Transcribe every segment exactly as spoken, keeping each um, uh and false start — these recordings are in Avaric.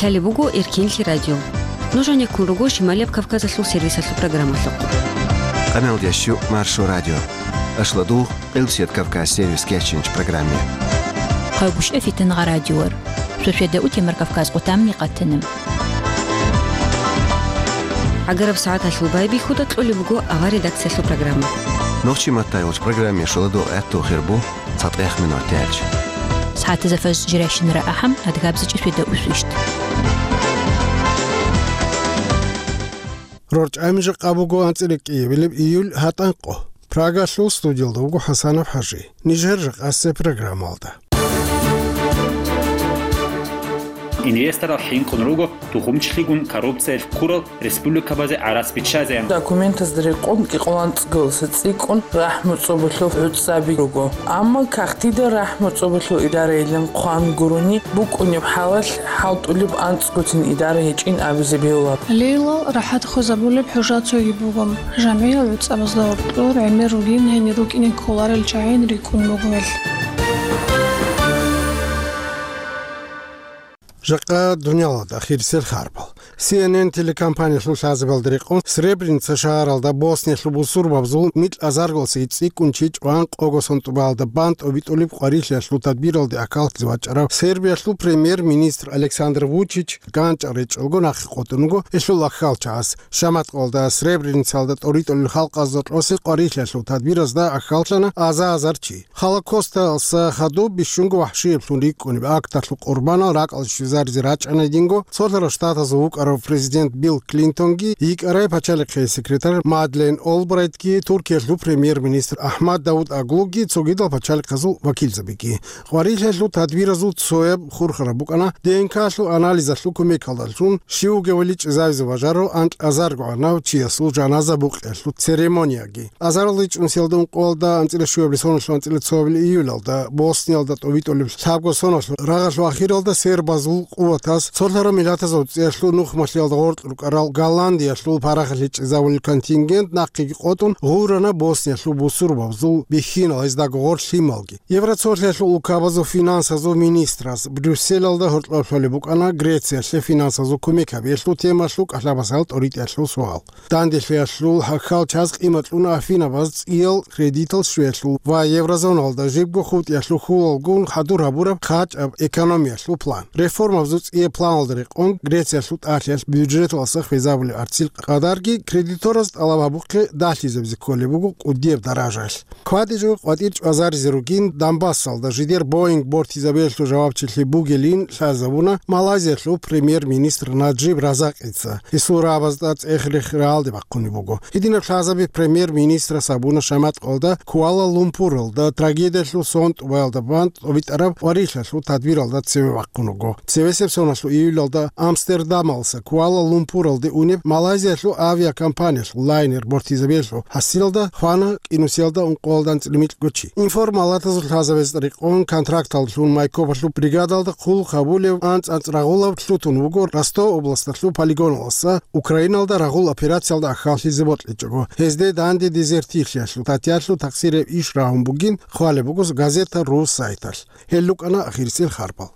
Гьале буго Эркинлъи радио. Нуж гьанеккун руго Шималияб Кавказалъул сервисалъул программалъухъ. Къамелдящу Маршо радио. Ашладугъ, Къилбсият Кавказ сервис кечинч программе. Хъайгуш эфитан гъа радиор. Шошеда утемар Кавказ къутамни къатана. Агараб сагӀаталъул байбихьуда кьолеб буго авар редакциялъул программа. Нохчи маттайолч программе шоладугъ гӀатту хирбу. ЦатӀех минуталъ. СагӀатазда фаж жирайщинара ахӀам, адгабзичӀи сведа усвищт. РорчӀами жакъа буго анцӀила кӀиабилеб июль гьатӀан къо. Прагалъул студиялда вуго ХӀасанов ХӀажи. Нижер жакъасеб программалда. Инвесторал хӀинкъун руго тухумчилъигун коррупциялъ ккурал республикабазе гӀарац биччазеян. Документазда рекъон кӀикъоялда анцӀго цӀикӀкӀун рахӀму цӀобалъул гӀуцӀаби руго. Амма кагътида рахӀму цӀобалъул идарайилан хъван гурони букӀунеб хӀалалъ хӀалтӀулеб анцӀгоцин идара гьечӀин абизе бегьула. Лейлал рахӀат хвезабулеб хӀужа цоги буго. ЖамгӀиял гӀуцӀабазда гьоркьор гӀемер ругин гьенир рукӀине кколарел чагӀи рикӀкӀун буго гьел. Жакъа дунялалда ахирисел харбал. Си Эн Эн телекомпаниялъул лъазабалда рекъон Сребреница шагьаралда Босниялъул бусурбабазул микьазаргалъуси цӀикӀкӀун чи чӀван къого сон тӀубалда бан тӀобитӀулеб къварилъиялъул тадбиралде ахӀаллъизе вачӀарав Сербиялъул премьер-министр Александр Вучич ганчӀал речӀчӀалго нахъе къотӀун вуго гьелъул ахӀалчагӀаз. Шаматкъалда Сребреницалда тӀоритӀулел халкъазда кьосел къварилъиялъул тадбиразда ахӀаллъана аза-азар чи. Холокосталъа хадуб бищунго вахӀшиеблъун рикӀкӀунеб акталъул къурбанал ракӀалде щвезаризе рачӀана гьединго Цолъарал Штатазул вукӀарав президент Билл Клинтонги йикӀарай пачалихъе секретарь Мадлен Олбрайтги, Туркиялъул премьер-министр АхӀмад Давутоглуги, цогидал пачалихъазул вакилзабиги. Къварилъиялъул тадбиразул цояб хурхараб букӀана Д Н К-лъул анализалъул кумекалдалъун щив вугевали чӀезавизе бажарав анкьазарго гӀанав чиясул жаназа букъиялъул церемонияги. Азарилда чӀунсиялда ункъоялда анцӀила щуабилеб соналъул анцӀила цоабилеб июлалда Босниялда тӀобитӀулеб лъабго соналъул рагъалъул ахиралда сербазул къуватаз цолъарал миллатазул цӀиялъул нухмалъиялда гъоркь рукӀарал Голландиялъул парахалъе чӀезабулел контингент нахъеги къотӀун гъурана Босниялъул бусурбабазул бихьинал, гьездаго гъорлъ лъималги. Евроцолъиялъул улкабазул финансазул министраз Брюсселалда гьоркьоб лъолеб букӀана Грециялъе финансазул кумек гьабиялъул темалъул кӀалъабасал тӀоритӀиялъул суал. Данделъиялъул гьахьал чаз къимат кьуна Афинабаз цӀиял кредитал щвеялъул ва еврозоналда жибго хутӀиялъул хьулалгун хӀадур гьабураб хъачӀаб экономиялъул план. Реформабазул цӀияб планалда рекъон Грециялъул тӀалъиялъ бюджеталдаса хвезабулеб арцил къадарги кредитораз тӀалаб гьабухъе далъизабизе кколеб буго кӀудияб даражаялъ. КватӀичӀого къватӀир чӀвазаризе ругин Донбассалда жидер Боинг бортизабиялъул жавабчилъи бугилин лъазабуна Малайзиялъул премьер-министр Наджиб Разакъица. Гьесул рагӀабазда цӀех-рех рагӀалде бахъунеб буго. Гьединаб лъазаби премьер-министрас гьабуна Шаматкъалда Куала-Лумпуралда трагедиялъул сон тӀубаялда бан тӀобитӀараб къварилъиялъул тадбиралда цеве вахъун вуго. Цевесеб соналъул июлалда Амстердамалдаса Куала-Лумпуралде унеб Малайзиялъул авиакомпаниялъул лайнер бортизабиялъул хӀасилалда хвана кӀинусиялда ункъоялда анцӀила микьго чи. Информалатазул лъазабазда рекъон контракталдалъун Майкопалъул бригадалда хъулухъ гьабулев анцӀ-анцӀ рагъулаб лъутун вуго Ростов областалъул полигоналдаса Украиналда рагъул операциялда ахӀаллъизе бокьичӀого. Гьезде данде дезертирлъиялъул статьялъул такъсирияб иш рагьун бугин хъвалеб буго газета Ру сайталъ. Гьел рукӀана ахирисел харбал.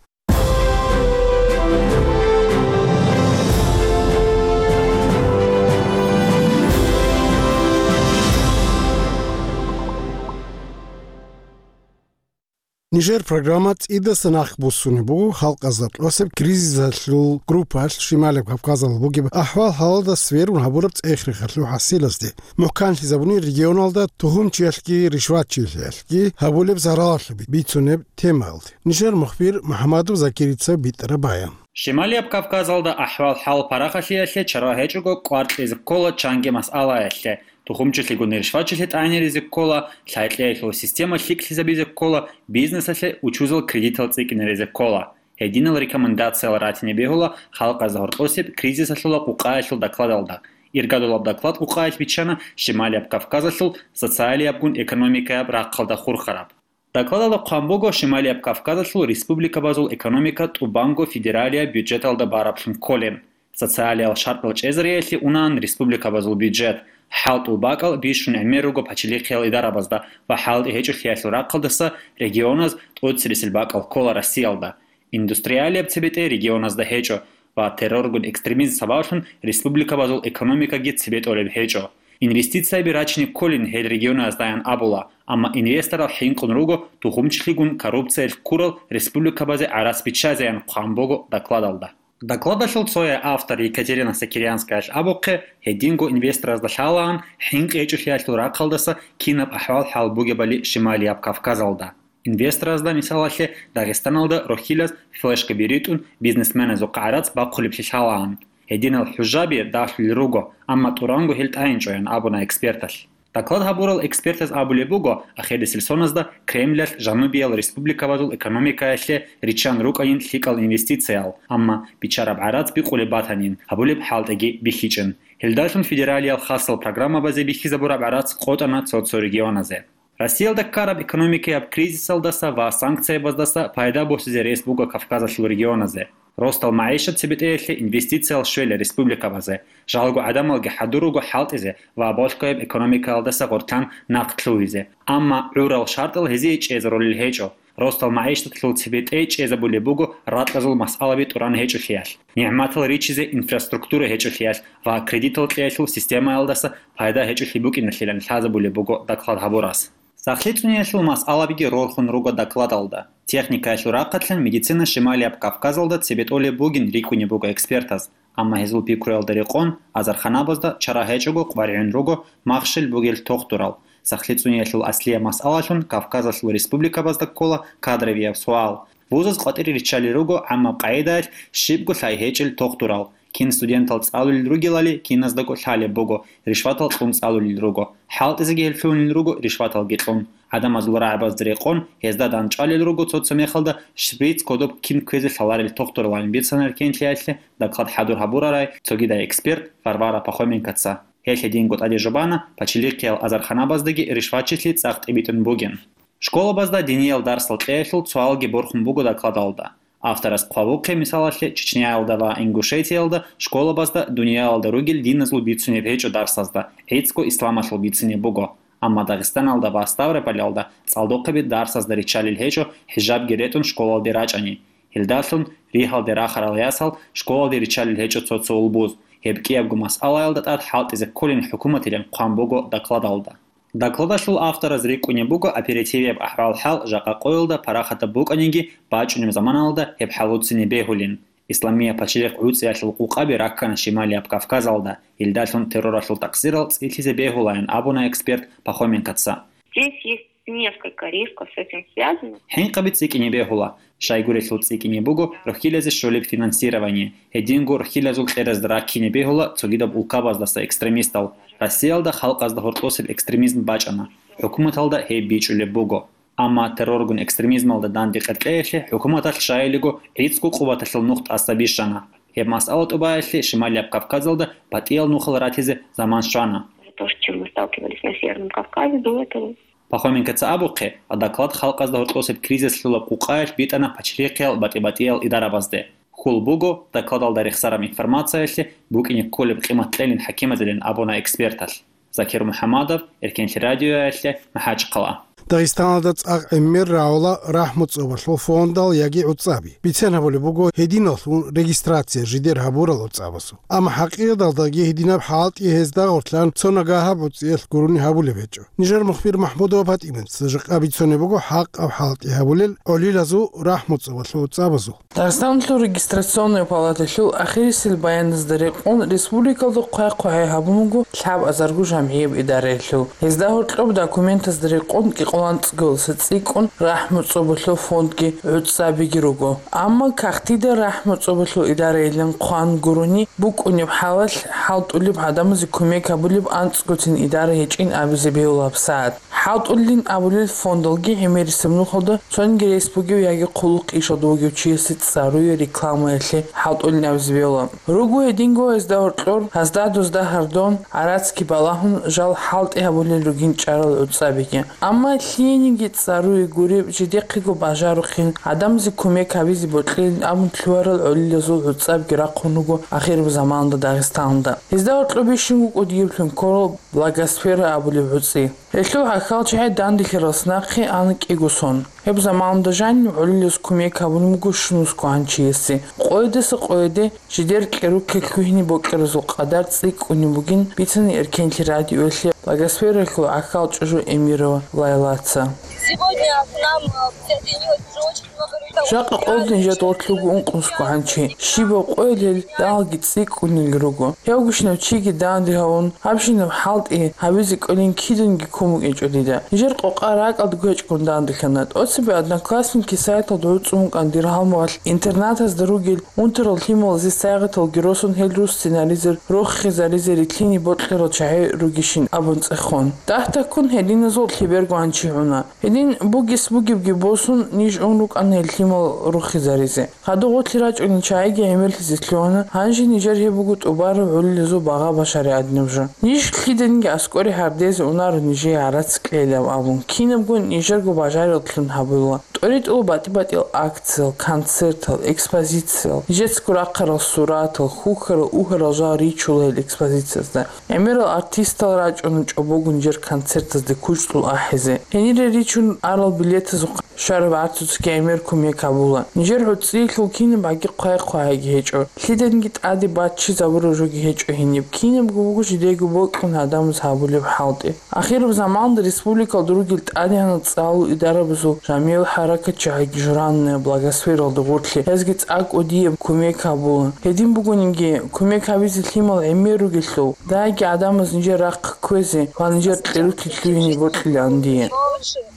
Нижер программа цӀидасан нахъ буссунеб буго халкъазда кьосеб кризисалъул группаялъ Шималияб Кавказалда бугеб ахӀвал-хӀалалда сверун гьабураб цӀех-рехалъул хӀасилазде. МухӀканлъизабуни регионалда тухумчиялъги ришватчилъиялъги гьабулеб заралалъул бицунеб темаялде. Нижер мухбир МухӀамадов Закирица битӀараб баян. Шималияб Кавказалда ахӀвал-хӀал парахалъиялъе чара гьечӀого кӀвар кьезе ккола чанги масъалаялъе, тухумчилъигун ришватчилъи тӀагӀинаризе ккола, лъай-кьеялъул система лъикӀлъизабизе ккола, бизнесалъе учузал кредитал цӀикӀкӀинаризе ккола. Гьединал рекомендациял ратине бегьула халкъазда гьоркьосеб кризисалъула къукъаялъул докладалда. Иргадулаб доклад къукъаялъ биччана Шималияб Кавказалъул социалиябгун экономикаяб рахъалда хурхараб. Докладалда хъван буго Шималияб Кавказалъул республикабазул экономика тӀубанго федералияб бюджеталда бараблъун кколин. Социалиял шартӀал чӀезариялъе унаан республикабазул бюджет, хӀалтӀул бакӀал бищун гӀемер руго пачалихъиял идарабазда ва хӀалтӀи гьечӀолъиялъул рахъалдаса регионаз тӀоцересел бакӀал ккола Россиялда. Индустриалияб цебетӀей регионазда гьечӀо, ва терроргун экстремизм сабаблъун республикабазул экономикаги цебетӀолеб гьечӀо. Инвестицияби рачине кколин гьел регионаздаян абула, амма инвесторал хӀинкъун руго тухумчилъигун коррупциялъ ккурал республикабазе гӀарац биччазеян хъван буго докладалда. Докладалъул цояй автор Екатерина Сокирянскаялъ абухъе, гьединго инвесторазда лъалаан хӀинкъи гьечӀолъиялъул рахъалдаса кинаб ахӀвал-хӀал бугебали Шималияб Кавказалда. Инвесторазда, мисалалъе, Дагъистаналда рохьилаз флешкаби ритӀун бизнесменазухъ гӀарац бахъулеблъи лъалаан. Гьединал хӀужаби дагьлъулел руго, амма тӀуранго гьел тӀагӀинчӀоян абуна эксперталъ. Доклад гьабурал экспертаз абулеб буго, ахирисел соназда Кремлялъ жанубиял республикабазул экономикаялъе риччан рукӀанин лъикӀал инвестициял, амма биччараб гӀарац бикъулеб батанин, гьабулеб хӀалтӀиги бихьичӀин. Гьелдалъун федералиял хасал программабазе бихьизабураб гӀарац къотӀана цо-цо регионазе. Россиялда ккараб экономикаяб кризисалдаса ва санкциябаздаса пайда босизе рес буго Кавказалъул регионазе. Ростал магӀишат цебетӀеялъе инвестициял щвела республикабазе, жалго гӀадамалги хӀадур руго хӀалтӀизе ва болъкъояб экономикаялдаса гъорлъан нахъ лъугьизе. Амма гӀурал шартӀал гьезие чӀезарулел гьечӀо. Ростал магӀишаталъул цебетӀей чӀезабулеб буго ракьазул масъалаби тӀуран гьечӀолъиялъ, нигӀматал ричизе инфраструктура гьечӀолъиялъ ва кредитал кьеялъул системаялдаса пайда гьечӀолъи букӀиналъилан лъазабулеб буго доклад гьабурас. СахлъицӀуниялъул масъалабиги рорхун руго докладалда. Техникаялъул рахъалъан медицина Шималияб Кавказалда цебетӀолеб бугин рикӀкӀунеб буго экспертаз, амма гьезул пикруялда рекъон азарханабазда чара гьечӀого къваригӀун руго махщел бугел тохтурал. СахлъицӀуниялъул аслияб масъалалъун Кавказалъул республикабазда ккола кадровияб суал. Вузаз къватӀире риччалел руго гӀаммаб къагӀидаялъ щибго лъай гьечӀел тохтурал. Кин студентал цӀалулел ругелали киназдаго лъалеб буго, ришватал кьун цӀалулел руго. ХӀалтӀизеги гьел лъугьунел руго ришваталги кьун. ГӀадамазул рагӀабазда рекъон, гьезда данчӀвалел руго цо-цо мехалда шприц кодоб кин кквезе лъаларел тохтуралан бицана Эркенлъиялъе доклад хӀадур гьабурарай цогидай эксперт Варвара Пахоменкоца. Гьелъ гьединго тӀаде жубана, пачалихъиял азарханабаздаги ришватчилъи цӀакъ тӀибитӀун бугин. Школабазда диниял дарсал кьеялъул цоалги борхун буго докладалда. Авторас хъвабухъе, мисалалъе, Чечняялда ва Ингушетиялда школабазда дуниялалда ругел диназул бицунеб гьечӀо дарсазда, гӀицӀго исламалъул бицунеб буго. Амма Дагъистаналда ва Ставропольалда цӀалдохъеби дарсазда риччалел гьечӀо хӀижабги ретӀун школалде рачӀани. Гьелдалъун ригьалде рахарал ясал школалде риччалел гьечӀо цо-цо улбуз. Гьеб кӀиябго масъалаялда тӀад хӀалтӀизе кколин хӀукуматилан хъван буго докладалда. Докладалъул автораз рикӀкӀунеб буго оперативияб ахӀвал-хӀал жакъа къоялда парахатаб букӀаниги, бачӀунеб заманалда гьеб хӀалуцин бегьулин. Исламияб пачалихъ гӀуцӀиялъул къукъаби раккана Шималияб Кавказалда, гьелдалъун терроралъул такъсирал цӀилъизе бегьулаян абуна эксперт Пахоменкоца. Здесь есть несколько рисков с этим связано. ХӀинкъаби цӀикӀкӀине бегьула. Щайгурелъул цӀикӀкӀине буго рохьилазе щолеб финансирование, гьединго рохьилазул кьеразда раккине бегьула цогидаб улкабаздаса экстремистал. Россиялда халкъазда гьоркьосеб экстремизм бачӀана. ХӀукуматалда гьеб бичӀчӀулеб буго. Амма терроргун экстремизмалда данде къеркьеялъе хӀукуматалъ щайилего гӀицӀго къуваталъул нух тӀаса бищана. Гьеб масъала тӀубаялъе Шималияб Кавказалда батӀиял нухал ратизе заман щвана. За то, с чем мы сталкивались на Северном Кавказе до этого. Пахоменкоца абухъе, доклад халкъазда гьоркьосеб кризис лъолаб къукъаялъ битӀана пачалихъиял батӀи-батӀиял идарабазде. Хьул буго, докладалда рехсараб информациялъе букӀине кколеб къимат кьелин хӀакимазилан абуна эксперталъ. Закир МухӀамадов, Эркенлъи радиоялъе, МахӀачхъала. Дагъистаналда цӀакъ гӀемер рагӀула рахӀму цӀобалъул фондал яги гӀуцӀаби. Бицен гьабулеб буго гьединаллъун регистрация жидер гьабурал гӀуцӀабазул. Амма хӀакъикъаталдаги гьединаб хӀалтӀи гьезда гъорлъан цо нагагьаб гӀуцӀиялъ гурони гьабулеб гьечӀо. Нижер мухбир МахӀмудова ПатӀимат жакъа бицунеб буго хӀакъаб хӀалтӀи гьабулел гӀолилазул рахӀму цӀобалъул гӀуцӀабазул. Дагъистаналъул регистрационный палаталъул ахирисел баяназда рекъон республикалда хъвай-хъвагӀай гьабун буго лъабазарго жамгӀияб идараялъул. Гьезда гьоркьоб документазда рекъон кӀикъоялда анцӀго цӀикӀкӀун рахӀму цӀобалъул фондги гӀуцӀабиги руго. Амма кагътида рахӀму цӀобалъул идарайилан хъван гурони букӀунеб хӀалалъ хӀалтӀулеб гӀадамазе кумек гьабулеб анцӀгоцин идара гьечӀин абизе бегьула гьабсагӀат. ХӀалтӀулин абулел фондалги гӀемерисеб нухалда цониги рес бугев яги хъулухъ ишалда вугев чиясе цӀаруе рекламаялъе хӀалтӀулин абизе бегьула. Руго гьединго гьезда гьоркьор гьазда-дузда гьардон, гӀарацги балагьун, жал хӀалтӀи гьабулел ругин чӀарал гӀуцӀабиги. Амма лъиениги цӀаруе гуреб жидехъего бажарухъин, гӀадамазе кумек гьабизе бокьилин абун лъугьарал гӀолилазул гӀуцӀабги рахъун руго ахираб заманалда Дагъистаналда. Гьезда гьоркьоб бищунго кӀудияблъун кколал Благосфера абулеб гӀуцӀи. Гьелъул гӀахьалчагӀи данделъаралдаса нахъе ана кӀиго сон. Гьеб заманалда жанив гӀолилаз кумек гьабулеб буго щунусго гьанчиясе. Къоядаса къояде жидер кьеруккел лъугьине бокьаразул къадар цӀикӀкӀунеб бугин бицана Эркенлъи радиоялъе Благосфералъул гӀахьал чӀужу Эмирова Лайлаца. Сегодня к нам, э, присоединилось уже очень много людей. Жакъа къоялда нижер дортлъуго ункънусго гьанчи. Щибаб къоялъ гьел далги цӀикӀкӀунел руго. Гьевгищинав чиги данде гьавун, гьабщинаб хӀалтӀи гьабизе кӀолин киданги ккун букӀинчӀо дида. Нижер къокъа ракӀалдаго гьечӀгун данделъана. ТӀоцебе Одноклассники сайталда гӀуцӀун вукӀана дир гьалмагъалъ интернатазда ругел унтарал лъималазе сайгъаталги росун гьел рус сценаризер рохизаризе рилълъине бокьарал чагӀи ругищин абун цӀехун. Дагьтаккун гьединазул лъеберго гьанчи гӀуна. Гьедин бугес бугебги босун, ниж ун рукӀана гьел лъимал рохизаризе. Хадуб гъорлъ рачӀунел чагӀиги гӀемерлъизе лъугьана, гьанже нижер гьеб буго тӀубараб гӀолилазул багъа башаригӀадинаб жо. Ниж лъиданиги аскӀоре гьардезе унаро нижее гӀарац кьелилан абун, кинабго нижерго бажариялъун гьабула. ТӀоритӀула батӀи-батӀиял акциял, концертал, экспозициял, нижецаго рахъарал суратал, хьухьарал-угьарал жал ричула гьел экспозициязда. ГӀемерал артистал рачӀуна чӀобогун нижер концертазде кучӀдул ахӀизе. Гьенире ричун арал билетазухъа щвараб гӀарцуцаги гӀемер кумек гьабула. Нижер гӀуцӀиялъул кинаб гӀаги хъвай-хъвагӀайги гьечӀо. Лъиданиги тӀаде баччизабураб жоги гьечӀо гьениб. Кинабго буго жидеего бокьун гьадамаз гьабулеб хӀалтӀи. Ахираб заманалда республикалда ругел тӀадегӀанал цӀалул идарабазул жамигӀил хӀаракатчагӀиги журанна Благосфералда гъорлъе гьезги цӀакъ кӀудияб кумек гьабула. Гьедин бугониги, кумек гьабизе лъимал гӀемер ругелъул, дагьабги гӀадамаз нижер рахъ кквезе ва нижер кьерулъе лъугьине бокьилаан дие.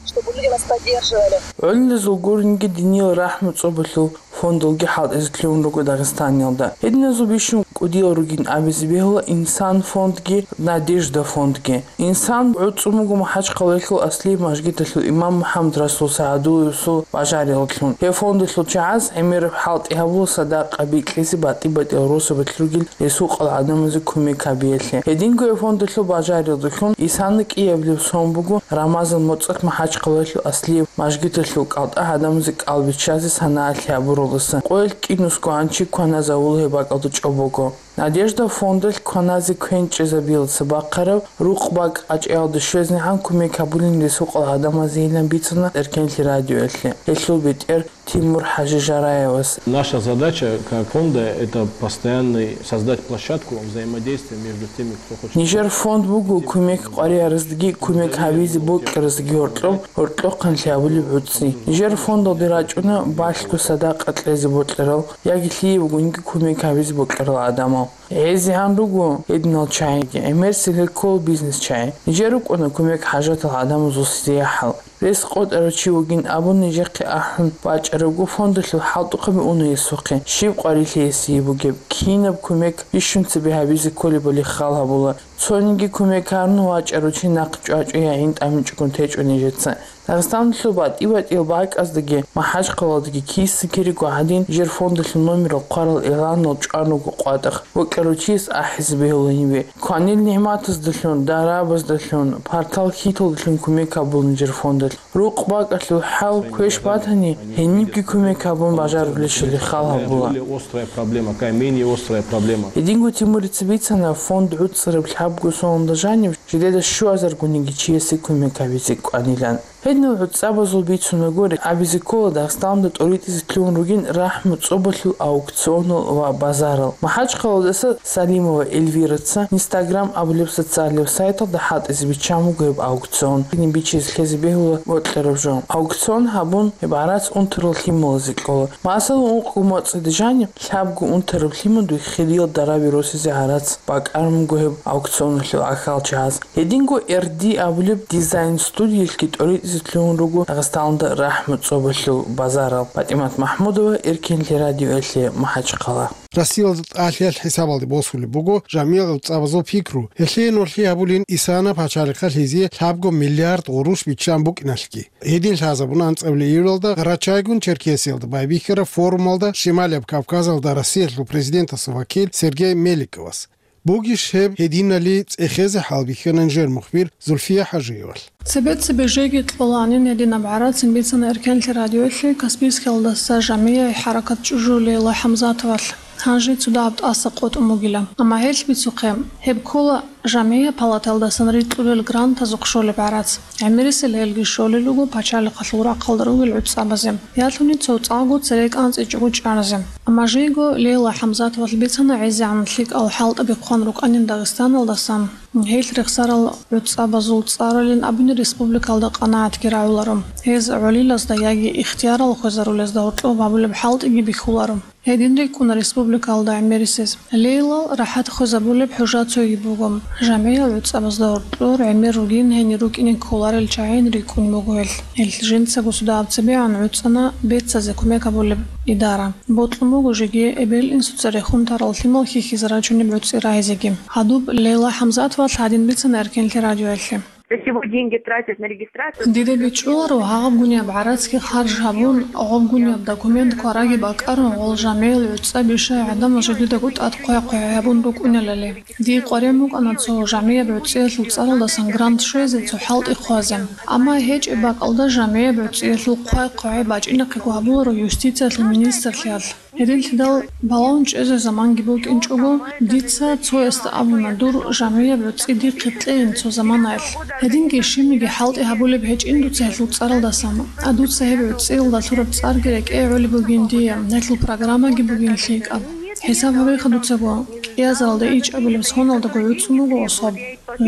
Чтобы люди нас поддерживали. ГӀолилазул гуринги диниял рахӀму цӀобалъул фондалги хӀалтӀизе лъугьун руго Дагъистаниялда. Гьединазул бищун кӀудиял ругин абизе бегьула Инсан фондги, Надежда фондги. Инсан гӀуцӀун буго МахӀачхъалаялъул аслияб мажгиталъул имам МухӀаммад Расул СагӀадулловасул бажариялъун. Гьеб фондалъул чагӀаз гӀемераб хӀалтӀи гьабула садакъа бикьизе батӀи-батӀиял росабалъ ругел ресукъал гӀадамазе кумек гьабиялъе. Гьединго гьеб фондалъул бажариялдалъун исана кӀиабилеб сон буго Рамазан моцӀалъ МахӀачхъалаялъул аслияб мажгиталъул кӀалтӀа гӀадамазе кӀал биччазе санаалъи гьабуралдаса. Къоялъ кӀинусго гьанчи кваназавула гьеб бакӀалда чӀобого. Надежда фондалъ кваназе квен чӀезабиялдаса бахъараб рукъ-бакӀ къачӀаялде щвезнегӀан кумек гьабулин ресукъал гӀадамазейилан бицана Эркенлъи радиоялъе гьелъул бетӀер Тимур ХӀажи Жараевас. Наша задача как фонда — это постоянный создать площадку взаимодействия между теми, кто хочет. Нижер фонд буго кумек къварияраздаги кумек гьабизе бокьараздаги гьоркьоб, гьоркьохъанлъи гьабулеб гӀуцӀи. Нижер фондалде рачӀуна балъго садакъа кьезе бокьарал яги лъие бугониги кумек гьабизе бокьарал гӀадамал. ГӀезегӀан руго гьединал чагӀиги, гӀемерисел гьел ккола бизнес чагӀи. Нижер рукӀуна кумек хӀажатал гӀадамазул сириахӀал. Рес къотӀарав чи вугин абун нижехъе ахӀун бачӀарабго, фондалъул хӀалтӀухъаби уна гьесухъе, щиб къварилъи гьесие бугеб, кинаб кумек бищун цебе гьабизе кколебали хал гьабула. Цониги кумек гьарун вачӀарав чи нахъ чӀвачӀо я гӀин тӀамичӀогун течӀо нижеца. Дагъистаналъул батӀи-батӀиял бакӀаздаги, МахӀачхъалаялдаги киса-кириго гӀадин, нижер фондалъул номерал хъварал игъланал чӀван руго къватӀах, бокьарав чияс ахӀизе бегьула гьенибе. Кванил нигӀматаздалъун, дарабаздалъун, партал хьиталдалъун кумек гьабула нижер фондалъ. Рукъ-бакӀалъул хӀал квеш батани, гьенибги кумек гьабун бажарулелъул хал гьабула. Более острая проблема, какая менее острая проблема. Гьединго Тимурица бицана, фонд гӀуцӀараб лъабго соналда жанив жидеда щуазаргониги чиясе кумек гьабизе кӀванилан. Гьединал гӀуцӀабазул бицунаго, абизе ккола Дагъистаналда тӀоритӀизе лъугьун ругин рахӀму цӀобалъул аукционал ва базарал. МахӀачхъалаялдаса Салимова Эльвираца Instagram абулеб социалияб сайталда хӀалтӀизе биччан буго гьеб аукцион. Гьедин бичизе лъезе бегьула бокьараб жо. Аукцион гьабун, гьеб гӀарац унтарал лъималазе кьола. Масала, ункъго моцӀида жаниб лъабго унтараб лъимадуй хириял дараби росизе гӀарац бакӀарун буго гьеб аукционалъул гӀахьалчагӀаз. Гьединго Эр Ди абулеб дизайн-студиялъги тӀоритӀизе лъугьун руго Дагъистаналда рахӀму цӀобалъул базарал. ПатӀимат МахӀмудова, Эркенлъи радиоялъе, МахӀачхъала. Россиялда тӀалъиялъ хӀисабалде босулеб буго жамигӀ гӀуцӀабазул пикру. Гьелъие нугӀлъи гьабулин Исана пачалихъалъ гьезие лъабго миллиард гъурущ биччан букӀиналъги. Гьедин лъазабуна анцӀабилеб июлалда Къарачайгун Черкесиялда байбихьараб форумалда Шималияб Кавказалда Россиялъул президентасул вакил Сергей Меликовас. Бугищ гьеб гьединали цӀехезе хӀалбихьана нижер мухбир Зульфия ХӀажиевалъ. Цебе-цебе жеги кьолаанин гьединаб гӀарацин бицана Эркенлъи радиоялъе Каспийскиялдаса жамигӀи хӀаракат чӀужу Лейла ХӀамзатовалъ. Гьанже цо дагьаб тӀаса къотӀун бугила. Амма гьелъ бицухъе, Гьеб ккола жамгӀияб палаталдасан рикьулел грантазухъ щолеб гӀарац. ГӀемерисел гьелги щолел руго пачалихъалъул рахъалда ругел гӀуцӀабазе. Ялъуни цо цӀакъго цере кӀанцӀичӀого чӀаразе. Амма жийго Лейла ХӀамзатовалъ бицана гӀезегӀан лъикӀал хӀалтӀаби хъван рукӀанин Дагъистаналдасан. Гьелъ рехсарал гӀуцӀабазул цӀаралин абуни республикалда къанагӀатги рагӀуларо. Гьез гӀолилазда яги ихтиярал хвезарулезда гьоркьоб гьабулеб хӀалтӀиги бихьуларо. Гьедин рикӀкӀуна республикалда гӀемерисез. Лейлал рахӀат хвезабулеб хӀужа цоги буго. ЖамгӀиял гӀуцӀабазда гьоркьор гӀемер ругин гьенир рукӀине кколарел чагӀин рикӀкӀун буго гьелъ. Гьелъ жинцаго судаб цебегӀан гӀуцӀана бецазе кумек гьабулеб идара. Бокьун буго жеги эбел-инсуца рехун тарал лъимал хьихьизе рачунеб гӀуцӀи рагьизеги. Гьадуб Лейла ХӀамзатовалъ гьадин бицана Эркенлъи радиоялъе. Для чего деньги тратят на регистрацию? Дида бичӀчӀуларо гьагъабгунеб гӀарацги харж гьабун, гъобгунеб документ квараги бакӀарун, гъол жамгӀиял гӀуцӀа бишай гӀадамал жидедаго тӀад хъвай-хъвай гьабун рукӀунелали. Дие къваригӀун букӀана цо жамгӀияб гӀуцӀиялъул цӀаралдасан грант щвезе цо хӀалтӀи хъвазе. Амма гьечӀеб бакӀалда жамгӀияб гӀуцӀиялъул хъвай-хъвай бачӀинахъего гьабуларо юстициялъул министрлъиялъ. Гьединлъидал балагьун чӀезе заманги букӀинчӀого, дица цоясда абуна дур жамгӀияб гӀуцӀи дихъе кьейин цо заманаялъ. Гьединги щибниги хӀалтӀи гьабулеб гьечӀин дуца гьелъул цӀаралдасан. А дуца гьеб гӀуцӀиялда лъураб цӀарги рекӀее гӀолеб бугин дие, гьелъул программаги бугин лъикӀаб. ХӀисаб гьабеха дуцаго, кӀиазаралда ичӀабилеб соналдаго гӀуцӀун буго особ.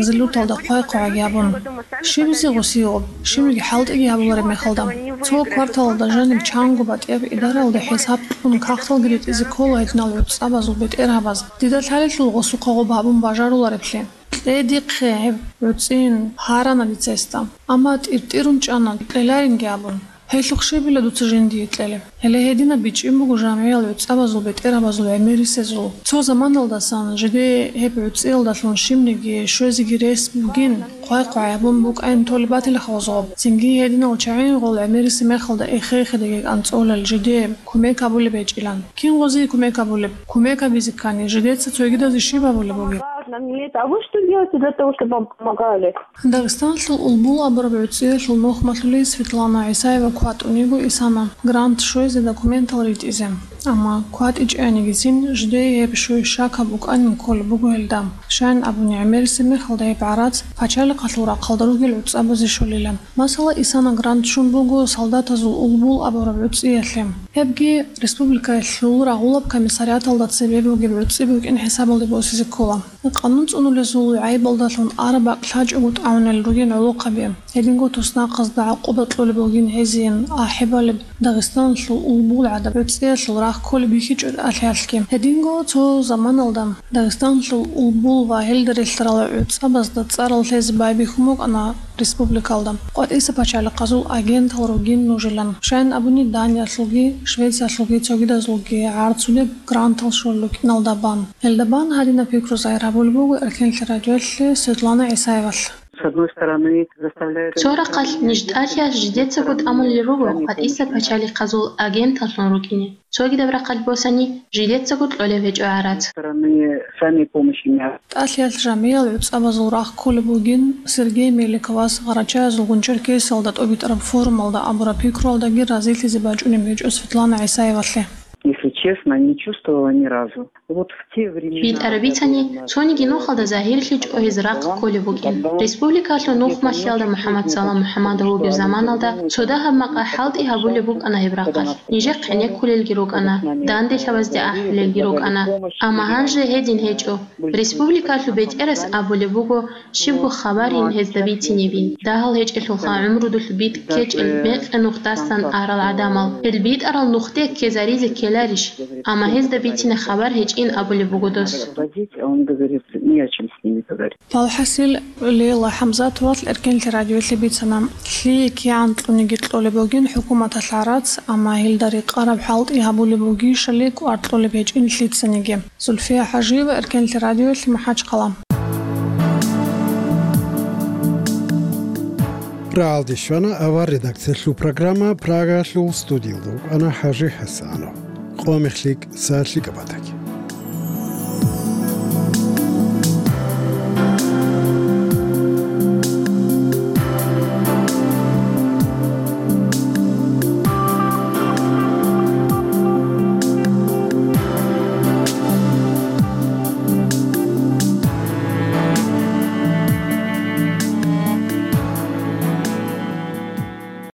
Зилуталда хъвай-хъвагӀаги гьабун. Щибизе гъосиюб, щибниги хӀалтӀиги гьабулареб мехалда. Цо кварталалда жаниб чанго батӀияб идаралда хӀисаб кьун кагъталги ритӀизе ккола гьединал гӀуцӀабазул бетӀергьабаз. Дида лъалелъул гъосухъа гъоб гьабун бажарулареблъи. Кье дихъе гьеб гӀуцӀин, гьарана дица гьесда. Амма тӀиртӀирун чӀана, кьеларинги абун. Гьелъухъ щибила дуца жиндие кьелеб? Гьеле гьединаб бичӀчӀи буго жамгӀиял гӀуцӀабазул бетӀергьабазул гӀемерисезул. Цо заманалдасан жиде гьеб гӀуцӀиялдалъун щибниги щвезеги рес бугин, хъвай-хъвай гьабун букӀайин толеб батила хавзгъаб. Цинги гьединал чагӀи гъол гӀемериси мехалда эхе-эхедеги кӀанцӀолел жиде кумек гьабулеб гьечӀилан. Кин гъозие кумек гьабулеб? Кумек гьабизе ккани, жидеца цогидазе щиб гьабулеб бугеб? Нам не это. А вы что делаете для того, чтобы вам помогали? Дагъистанлъул Улбул абураб гӀуцӀиялъул нухмалъулей Светлана ГӀисаева кватӀун йиго Исана грант щвезе документал ритӀизе. Амма кватӀичӀанигицин жидее гьеб щвей щакаб букӀанин кколеб буго гьелда. Щайин абуни, гӀемериси мехалда гьеб гӀарац пачалихъалъул рахъалда ругел гӀуцӀабазе щолила. Масала, Исана грант щун буго солдатазул Улбул абураб гӀуцӀиялъе. Гьебги республикаялъул рагъулаб комиссариаталда цебе бугеб гӀуцӀи букӀин хӀисабалде босизе ккола. Къанун цӀунулезул гӀайибалдалъун араб бакӀ лъачӀого тӀагӀунел ругин гӀолохъаби. Гьединго туснахъазда гӀакъуба кьолеб бугин гьезин ахӀи балеб Дагъистанлъул Улбул гӀадаб гӀуцӀиялъул рахъ кколеб бихьичӀо тӀалъиялъги. Гьединго цо заманалда Дагъистанлъул Улбул ва гьелда релълъарал гӀуцӀабазда цӀарал лъезе байбихьун букӀана республикалда, къватӀиса пачалихъазул агентал ругин нужилан. Щайин абуни, Даниялъулги, Швециялъулги цогидазулги гӀарцулеб грантал щолел рукӀиналда бан. Гьелда бан гьадинаб пикру загьир гьабулеб буго Эркенлъи радиоялъе Светлана ГӀисаевалъ. С одной стороны, заставляет... Цо рахъалъ ниж тӀалъиялъ жидецаго тӀамулел руго къватӀиса пачалихъазул агенталлъун рукӀине. Цогидаб рахъалъ босани, жидецаго кьолеб гьечӀо гӀарац. Стороны сами помощи не... ТӀалъиялъ жамгӀиял гӀуцӀабазул рахъ кколеб бугин Сергей Меликовас Гъарачаязулгун Черкесиялда тӀобитӀараб форумалда абураб пикруялдаги разилъизе бачӀунеб гьечӀо Светлана ГӀисаевалъе. Если честно, не чувствовала ни разу. Вот в те времена... БитӀараб бицани, цониги нухалда загьирлъичӀо гьез рахъ кколеб букӀин. Республикалъул нухмалъиялда МухӀаммад Салам МухӀаммадов вугев заманалда цо дагьаб макъа хӀалтӀи гьабулеб букӀана гьеб рахъалъ. Нижехъ гӀенеккулелги рукӀана, данделъабазде ахӀулелги рукӀана. Амма гьанже гьедин гьечӀо. Республикалъул бетӀерас абулеб буго, щибго хабарин гьезда бицинебин, дагьал гьечӀелъулха гӀумрудулъ битӀ ккечӀел мекъи нухдасан арал гӀадамал. Гьел битӀарал нухде ккезаризе ккеларищ? Амма гьезда бицине хабар гьечӀин абулеб буго дос. Водить, а он говорит, не о чем с ними говорить. Валхасил, Лейла ХӀамзатовалъ Эркенлъи радиоялъе бицана, лъие кигӀан кьуниги кьолеб бугин хӀукуматалъ гӀарац, амма гьелда рекъараб хӀалтӀи гьабулеб бугищали кӀвар кьолеб гьечӀин лъицаниги. Зульфия ХӀажиева, Эркенлъи радиоялъе, МахӀачхъала. РагӀалде щвана авар редакциялъул программа, Прагалъул студиялда вукӀана ХӀажи ХӀасанов. Къо мехлъи, са лъикӀаб батаги.